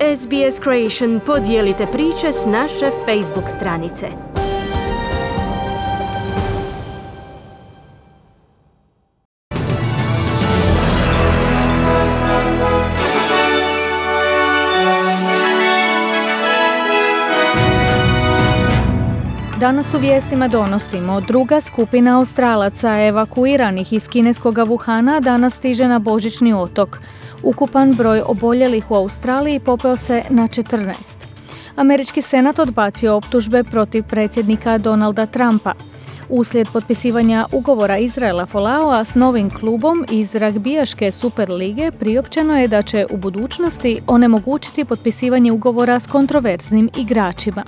SBS Creation podijelite priče s naše Facebook stranice. Danas u vijestima donosimo, druga skupina Australaca evakuiranih iz kineskog Wuhana danas stiže na Božićni otok. Ukupan broj oboljelih u Australiji popeo se na 14. Američki senat odbacio optužbe protiv predsjednika Donalda Trumpa. Uslijed potpisivanja ugovora Izraela Folaoa s novim klubom iz ragbijaške Super lige priopćeno je da će u budućnosti onemogućiti potpisivanje ugovora s kontroverznim igračima.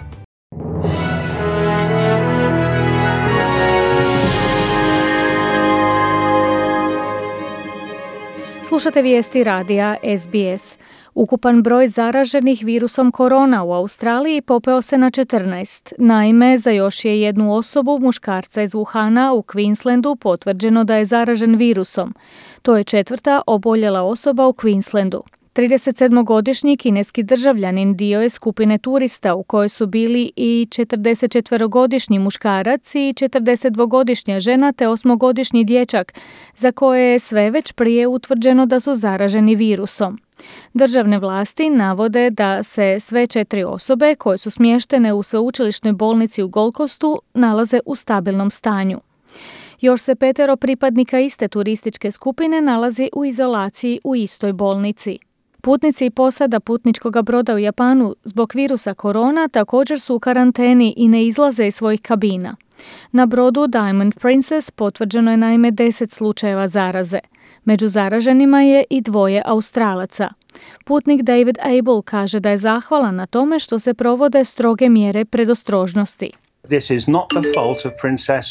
Slušate vijesti radija SBS. Ukupan broj zaraženih virusom korona u Australiji popeo se na 14. Naime, za još je jednu osobu, muškarca iz Wuhana u Queenslandu, potvrđeno da je zaražen virusom. To je četvrta oboljela osoba u Queenslandu. 37-godišnji kineski državljanin dio je skupine turista u kojoj su bili i 44-godišnji muškarac i 42-godišnja žena te 8-godišnji dječak, za koje je sve već prije utvrđeno da su zaraženi virusom. Državne vlasti navode da se sve 4 osobe koje su smještene u sveučilišnoj bolnici u Gold Coastu nalaze u stabilnom stanju. Još se 5 pripadnika iste turističke skupine nalazi u izolaciji u istoj bolnici. Putnici i posada putničkog broda u Japanu zbog virusa korona također su u karanteni i ne izlaze iz svojih kabina. Na brodu Diamond Princess potvrđeno je naime 10 slučajeva zaraze. Među zaraženima je i 2 Australaca. Putnik David Abel kaže da je zahvalan na tome što se provode stroge mjere predostrožnosti. This is not the fault of Princess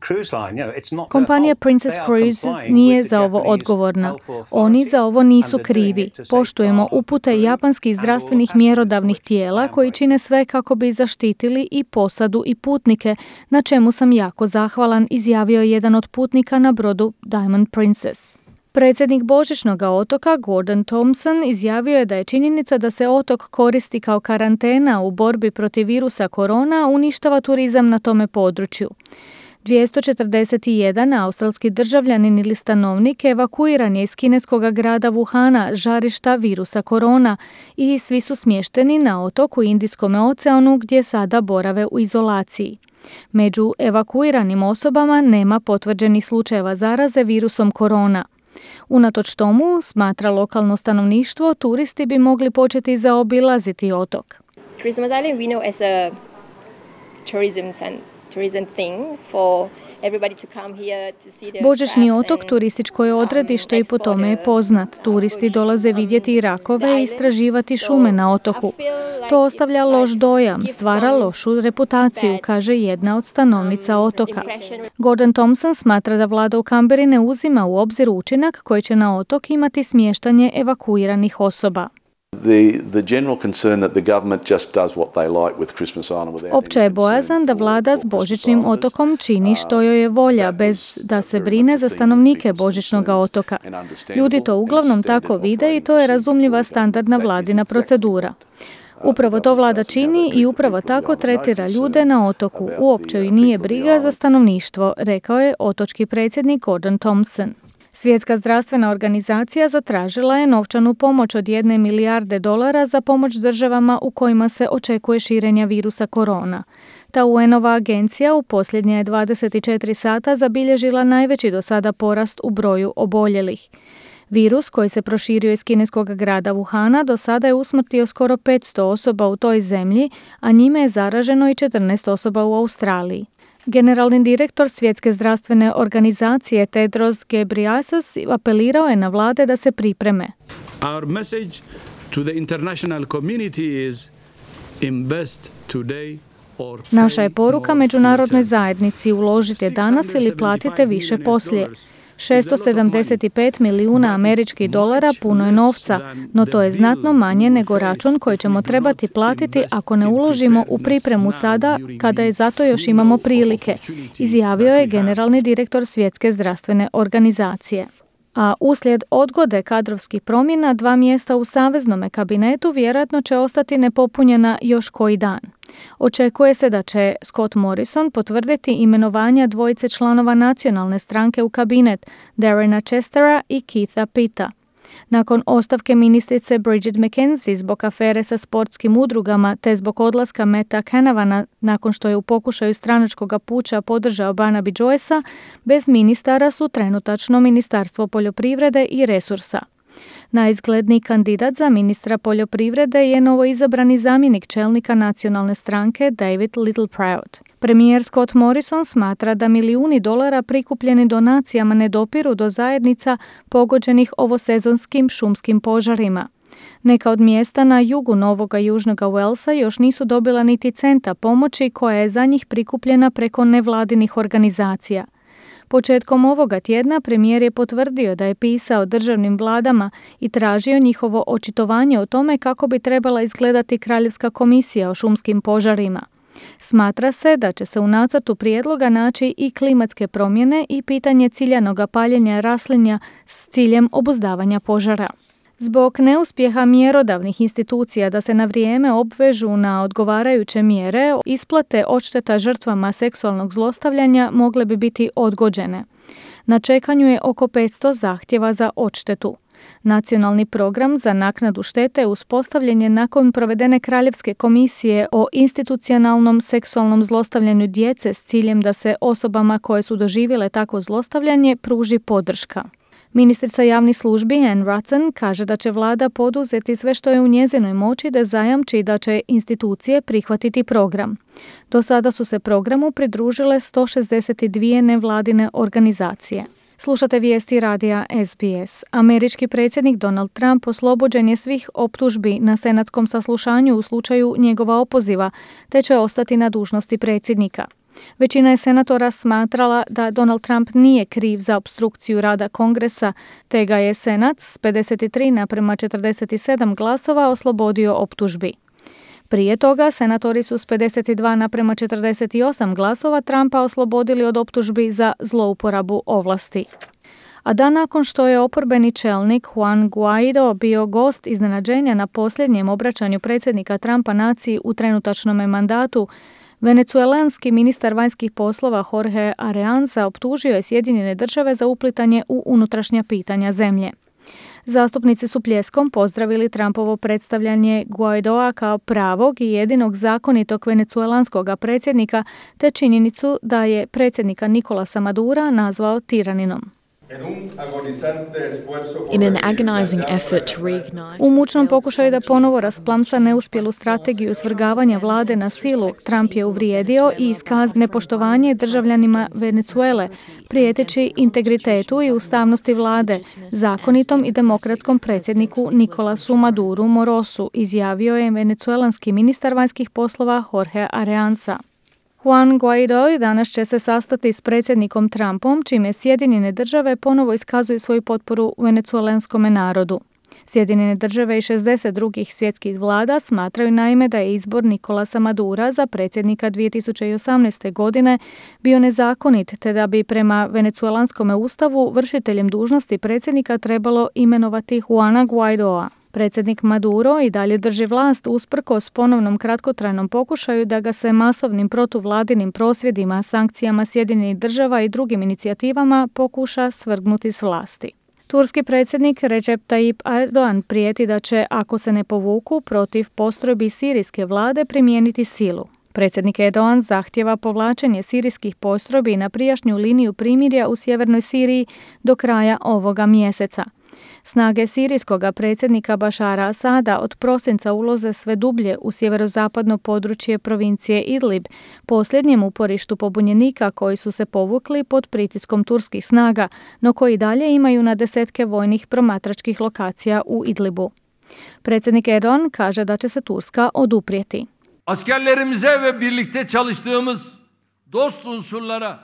Cruise Line. Kompanija Princess Cruise nije za ovo odgovorna. Oni za ovo nisu krivi. Poštujemo upute japanskih zdravstvenih mjerodavnih tijela koji čine sve kako bi zaštitili i posadu i putnike, na čemu sam jako zahvalan, izjavio je jedan od putnika na brodu Diamond Princess. Predsjednik Božićnog otoka Gordon Thompson izjavio je da je činjenica da se otok koristi kao karantena u borbi protiv virusa korona uništava turizam na tome području. 241 australski državljanin ili stanovnik evakuiran je iz kineskog grada Wuhana, žarišta virusa korona, i svi su smješteni na otoku u Indijskom oceanu gdje sada borave u izolaciji. Među evakuiranim osobama nema potvrđenih slučajeva zaraze virusom korona. Unatoč tomu, smatra lokalno stanovništvo, turisti bi mogli početi zaobilaziti otok. Christmas Island we know as a tourism thing for everybody to come here to see the Božićni otok turističko je odredište i po tome je poznat. Turisti dolaze vidjeti rakove i istraživati šume na otoku. To ostavlja loš dojam, stvara lošu reputaciju, kaže jedna od stanovnica otoka. Gordon Thompson smatra da vlada u Canberri ne uzima u obzir učinak koji će na otok imati smještanje evakuiranih osoba. Opća je bojazan da vlada s Božićnim otokom čini što joj je volja, bez da se brine za stanovnike Božićnog otoka. Ljudi to uglavnom tako vide i to je razumljiva standardna vladina procedura. Upravo to vlada čini i upravo tako tretira ljude na otoku. Uopće joj nije briga za stanovništvo, rekao je otočki predsjednik Gordon Thompson. Svjetska zdravstvena organizacija zatražila je novčanu pomoć od $1 milijarde za pomoć državama u kojima se očekuje širenja virusa korona. Ta UN-ova agencija u posljednje je 24 sata zabilježila najveći do sada porast u broju oboljelih. Virus koji se proširio iz kineskog grada Wuhana do sada je usmrtio skoro 500 osoba u toj zemlji, a njime je zaraženo i 14 osoba u Australiji. Generalni direktor Svjetske zdravstvene organizacije Tedros Ghebreyesus apelirao je na vlade da se pripreme. Our message to the international community is invest today. Naša je poruka međunarodnoj zajednici: uložite danas ili platite više poslije. $675 milijuna američkih dolara puno je novca, no to je znatno manje nego račun koji ćemo trebati platiti ako ne uložimo u pripremu sada, kada je zato još imamo prilike, izjavio je generalni direktor Svjetske zdravstvene organizacije. A uslijed odgode kadrovskih promjena 2 mjesta u saveznome kabinetu vjerojatno će ostati nepopunjena još koji dan. Očekuje se da će Scott Morrison potvrditi imenovanja 2 članova nacionalne stranke u kabinet, Darrena Chestera i Keitha Pitta. Nakon ostavke ministrice Bridget McKenzie zbog afere sa sportskim udrugama te zbog odlaska Metta Canavana nakon što je u pokušaju stranačkog puča podržao Barnaby Joycea, bez ministara su trenutačno Ministarstvo poljoprivrede i resursa. Najizgledniji kandidat za ministra poljoprivrede je novoizabrani zamjenik čelnika nacionalne stranke David Littleproud. Premijer Scott Morrison smatra da milijuni dolara prikupljeni donacijama ne dopiru do zajednica pogođenih ovosezonskim šumskim požarima. Neka od mjesta na jugu Novoga Južnoga Walesa još nisu dobila niti centa pomoći koja je za njih prikupljena preko nevladinih organizacija. Početkom ovoga tjedna premijer je potvrdio da je pisao državnim vladama i tražio njihovo očitovanje o tome kako bi trebala izgledati Kraljevska komisija o šumskim požarima. Smatra se da će se u nacrtu prijedloga naći i klimatske promjene i pitanje ciljanoga paljenja raslinja s ciljem obuzdavanja požara. Zbog neuspjeha mjerodavnih institucija da se na vrijeme obvežu na odgovarajuće mjere, isplate odšteta žrtvama seksualnog zlostavljanja mogle bi biti odgođene. Na čekanju je oko 500 zahtjeva za odštetu. Nacionalni program za naknadu štete uspostavljen je nakon provedene Kraljevske komisije o institucionalnom seksualnom zlostavljanju djece s ciljem da se osobama koje su doživjele takvo zlostavljanje pruži podrška. Ministrica javnih službi Anne Rutton kaže da će vlada poduzeti sve što je u njezinoj moći da zajamči da će institucije prihvatiti program. Do sada su se programu pridružile 162 nevladine organizacije. Slušate vijesti radija SBS. Američki predsjednik Donald Trump oslobođen je svih optužbi na senatskom saslušanju u slučaju njegova opoziva, te će ostati na dužnosti predsjednika. Većina je senatora smatrala da Donald Trump nije kriv za opstrukciju rada Kongresa, te ga je Senat s 53:47 glasova oslobodio optužbi. Prije toga, senatori su s 52:48 glasova Trumpa oslobodili od optužbi za zlouporabu ovlasti. A dan nakon što je oporbeni čelnik Juan Guaido bio gost iznenađenja na posljednjem obraćanju predsjednika Trumpa naciji u trenutačnome mandatu, venecuelanski ministar vanjskih poslova Jorge Arreaza optužio je Sjedinjene Države za uplitanje u unutrašnja pitanja zemlje. Zastupnici su pljeskom pozdravili Trumpovo predstavljanje Guaidoa kao pravog i jedinog zakonitog venecuelanskog predsjednika, te činjenicu da je predsjednika Nicolasa Madura nazvao tiraninom. U mučnom pokušaju da ponovo rasplamsa neuspjelu strategiju svrgavanja vlade na silu, Trump je uvrijedio i iskazao nepoštovanje državljanima Venezuele, prijeteći integritetu i ustavnosti vlade, zakonitom i demokratskom predsjedniku Nicolasu Maduru Morosu, izjavio je venecuelanski ministar vanjskih poslova Jorge Arreaza. Juan Guaido danas će se sastati s predsjednikom Trumpom, čime Sjedinjene Države ponovo iskazuju svoju potporu venecuelanskome narodu. Sjedinjene Države i 60 drugih svjetskih vlada smatraju naime da je izbor Nicolasa Madura za predsjednika 2018. godine bio nezakonit, te da bi prema venecuelanskome ustavu vršiteljem dužnosti predsjednika trebalo imenovati Juana Guaidoa. Predsjednik Maduro i dalje drži vlast usprkos ponovnom kratkotrajnom pokušaju da ga se masovnim protuvladinim prosvjedima, sankcijama Sjedinjenih Država i drugim inicijativama pokuša svrgnuti s vlasti. Turski predsjednik Recep Tayyip Erdogan prijeti da će, ako se ne povuku, protiv postrojbi sirijske vlade primijeniti silu. Predsjednik Erdogan zahtjeva povlačenje sirijskih postrojbi na prijašnju liniju primirja u sjevernoj Siriji do kraja ovoga mjeseca. Snage sirijskog predsjednika Bašara Asada od prosinca ulaze sve dublje u sjeverozapadno područje provincije Idlib, posljednjem uporištu pobunjenika koji su se povukli pod pritiskom turskih snaga, no koji dalje imaju na desetke vojnih promatračkih lokacija u Idlibu. Predsjednik Erdogan kaže da će se Turska oduprijeti. Askerlerimize ve birlikte çalıştığımız dost unsurlara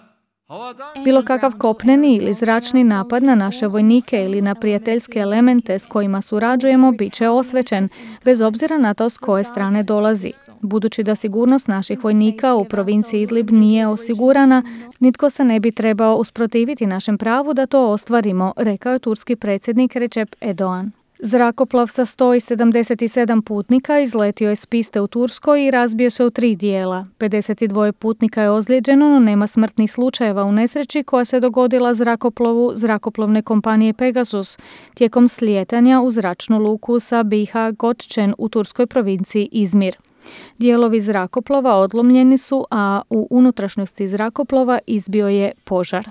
Bilo kakav kopneni ili zračni napad na naše vojnike ili na prijateljske elemente s kojima surađujemo bit će osvećen, bez obzira na to s koje strane dolazi. Budući da sigurnost naših vojnika u provinciji Idlib nije osigurana, nitko se ne bi trebao usprotiviti našem pravu da to ostvarimo, rekao je turski predsjednik Recep Erdogan. Zrakoplov sa 177 putnika izletio je s piste u Turskoj i razbio se u 3 dijela. 52 putnika je ozlijeđeno, no nema smrtnih slučajeva u nesreći koja se dogodila zrakoplovu zrakoplovne kompanije Pegasus tijekom slijetanja u zračnu luku Sabiha Gökçen u turskoj provinciji Izmir. Dijelovi zrakoplova odlomljeni su, a u unutrašnjosti zrakoplova izbio je požar.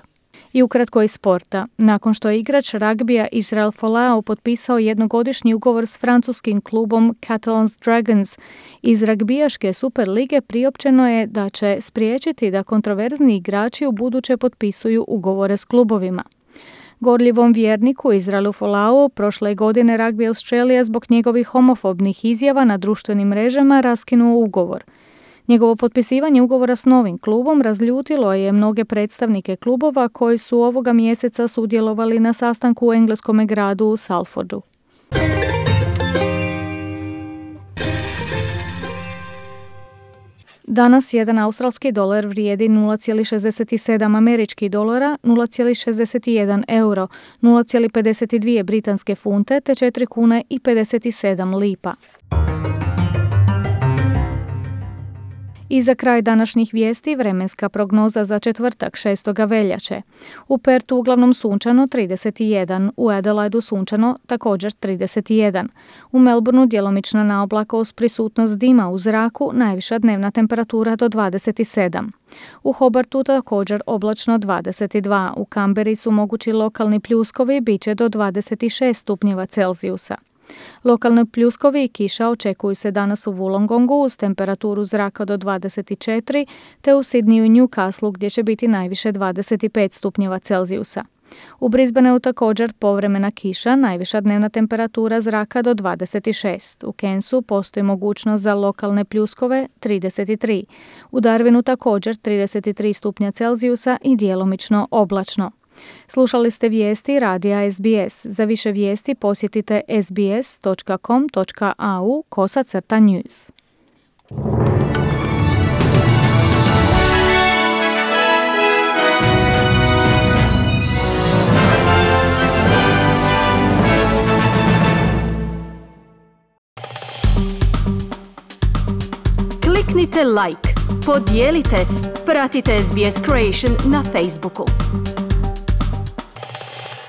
I ukratko iz sporta. Nakon što je igrač ragbija Israel Folau potpisao jednogodišnji ugovor s francuskim klubom Catalans Dragons iz ragbijaške Superlige, priopćeno je da će spriječiti da kontroverzni igrači u buduće potpisuju ugovore s klubovima. Gorljivom vjerniku Israelu Folau prošle godine Rugby Australia zbog njegovih homofobnih izjava na društvenim mrežama raskinuo ugovor. Njegovo potpisivanje ugovora s novim klubom razljutilo je mnoge predstavnike klubova koji su ovoga mjeseca sudjelovali na sastanku u engleskom gradu u Salfordu. Danas jedan australski dolar vrijedi 0,67 američkih dolara, 0,61 euro, 0,52 britanske funte te 4 kune i 57 lipa. I za kraj današnjih vijesti vremenska prognoza za četvrtak 6. veljače. U Pertu uglavnom sunčano 31, u Adelaidu sunčano također 31. U Melbourneu djelomična naoblakost, prisutnost dima u zraku, najviša dnevna temperatura do 27. U Hobartu također oblačno 22. U Kamberi su mogući lokalni pljuskovi, bit će do 26 stupnjeva Celzijusa. Lokalni pljuskovi i kiša očekuju se danas u Wollongongu uz temperaturu zraka do 24, te u Sydneyu i Newcastleu gdje će biti najviše 25 stupnjeva Celzijusa. U Brisbaneu također povremena kiša, najviša dnevna temperatura zraka do 26. U Cairnsu postoji mogućnost za lokalne pljuskove 33. U Darwinu također 33 stupnja Celzijusa i djelomično oblačno. Slušali ste vijesti radija SBS. Za više vijesti posjetite sbs.com.au/news. Kliknite like, podijelite, pratite SBS Creation na Facebooku.